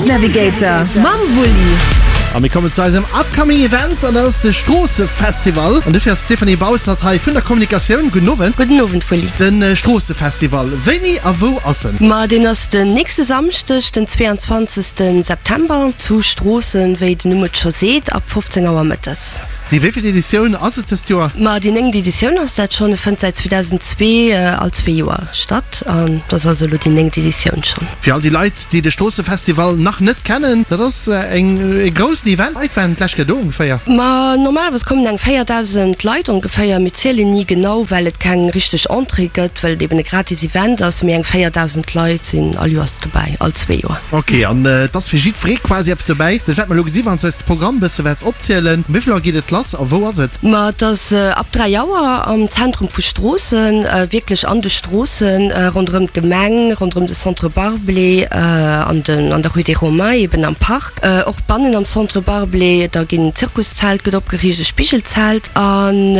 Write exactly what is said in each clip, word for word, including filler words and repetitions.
Event Navigator mam Wulli. A mir kommen zu eisem upcoming Event, an dat ass de Stroossefestival. An dofir ass d'Stéphanie Bausnert hei vun der Kommunikatioun. Gudden Owend. Gudden Owend, Wulli. De Stroossefestival, wéini a wou ass en? Ma deen ass den nächste Samschdeg, den zweeanzwanzegste September zu Stroossen, wéi den Numm et scho seet, ab fofzéng Auer mëttes. Déi wéivill Editioun ass et dëst Joer? Ma déi néngt Editioun ass dat schonn. E fënnt säit zweedausendzwee all zwee Joer statt an et ass also elo déi néngt Editioun schonn. Fir all déi Leit, déi de Stroossefestival nach net kennen, dat ass eng e groussen Event. Leit waren d'lescht Kéier do ongeféier? Ma normalerweis kommen eng véierdausend Leit ongeféier. Mir zielen ni genau, well et keng richteg Entrée gëtt, well et eben e gratis Event ass. Mee eng véierdausend Leit sinn all Joers dobäi, all zwee Joer. Ok, an et ass fir jiddweree quasi eppes dobäi. Dat wäerte mer elo gesi wann s de eis de Programm e bësse wäerts opzielen. Wéi vill Auer geet et lass a wou ass et? Ma et ass ab dräi Auer am Zentrum vu Stroossen, wierklech an de Stroossen ronderëm d'Gemeng, ronderëm de Centre Barblé an den an der Rue des Romains eben am Park, och bannen am Centre Barblé. Da ginn en Zirkuszelt gëtt opgeriicht, e Spigelzelt an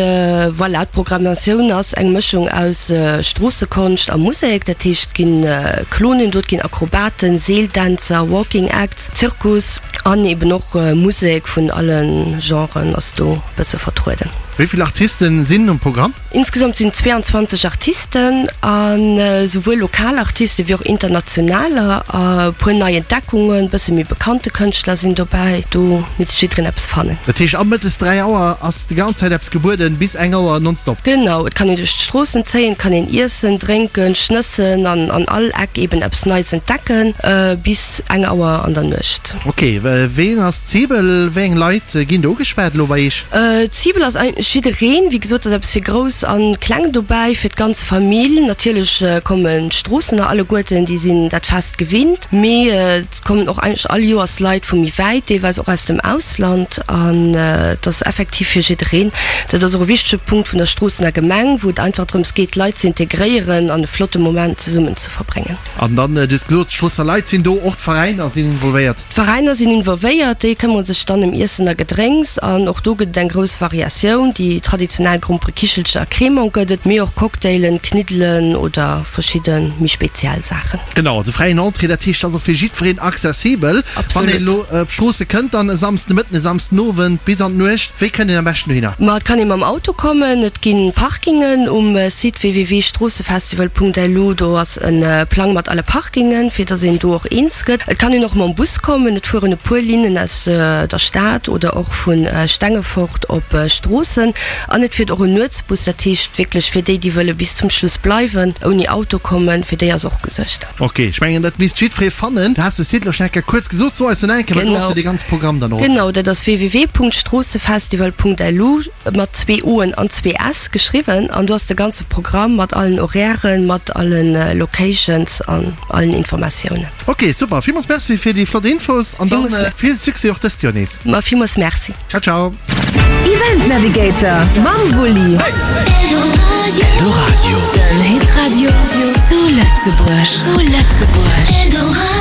voilà. D'Programmatioun ass eng Mëschung aus Stroossekonscht a Musek, dat heescht et ginn Clownen do, et ginn Akrobaten, Seeldänzer, Walking Acts, Zirkus an eben och Musek vun alle Genren ass do bësse vertrueden. Wéi vill Artisten sinn um Programm? Insgesamt sinn zweeanzwanzeg Artisten, an souwuel lokal Artisten wéi och internationaler. E puer nei Entdeckungen, bësse méi bekannte Kënschtler sinn dobäi. Do misst jiddereen eppes fannen. Dat heescht ab mëttes dräi Auer ass déi ganz Zäit eppes gebueden, bis eng Auer nonstop? Genau, et kann een duerch d'Stroossen zéien, et kann een iessen, drénken, schnëssen an an all Eck eben eppes Neies entdecken, bis eng Auer an der Nuecht. Ok, ween ass d'Cible? Wéi eng Leit ginn do ugeschwat elo bei Iech? D'Cible ass eigentlech jiddereen. Wéi gesot, ass eppes fir Grouss a Kleng dobäi, fir d'ganz Famill. Natierlech kommen d'Stroossener alleguerten, déi sinn dat Fest gewinnt, mee et kommen och eigentlech all Joers Leit vu méi wäit, deelweis och aus dem Ausland. An et ass effektiv fir jiddereen. Dat ass och e wichtege Punkt vun der Stroossener Gemeng, wou et einfach drëms geet, d'Leit ze integréieren an e flotte Moment zesummen ze verbréngen. An dann, du hues gesot, d'Stroossener Leit sinn do, och d'Veräiner sinn involvéiert? D'Veräiner sinn involvéiert, déi këmmere sech dann ëm Iessen a Gedrénks an och do gëtt et eng grouss Variatioun. Déi traditionell Gromperekichelcher a Cremant gëtt et, mee och Cocktailen, Kniddelen oder verschidde méi speziell Saachen. Genau, also fräien Entrée, dat heescht, ass och fir jiddwereen accessibel. Wann een elo op Stroosse kënnt dann e Samsden de Mëtten, e Samsden Owend bis an d'Nuecht, wéi kënnt een am beschten dohinner? Ma et kann ee mam Auto kommen, et gi Parkingen um Site www.stroossefestival punkt lu, do ass e Plang mat alle Parkingen, fir dass een do och eens gëtt. Et kann een och mam Bus kommen, et fueren e puer Linnen aus der Stad oder och vu Stengefort op Stroossen an et fiert och en Nuetsbus, dat heescht wierklech fir déi, déi wëlle bis zum Schluss bleiwen, ouni Auto kommen, fir déi ass och gesuergt. Ok, ech mengen dat misst jiddweree fannen. Du has de Site elo schon eng Kéier kuerz gesot, so eis en eng Kéier, well do ass jo dee ganze Programm dann och. Genau, dat ass www.stroossefestival.lu mat zwee Oen an zwee S geschriwwen an do ass de ganze Programm mat allen Horairen, mat allen Locations an allen Informatiounen. Ok, super, villmools Merci fir déi flott Infos an dann vill Succès och dëst Joer nees. Ma villmools Merci. Ciao ciao. Event Navigator mam Wulli. Eldoradio, den Hitradio zu Lëtzebuerg. Zu Lëtzebuerg.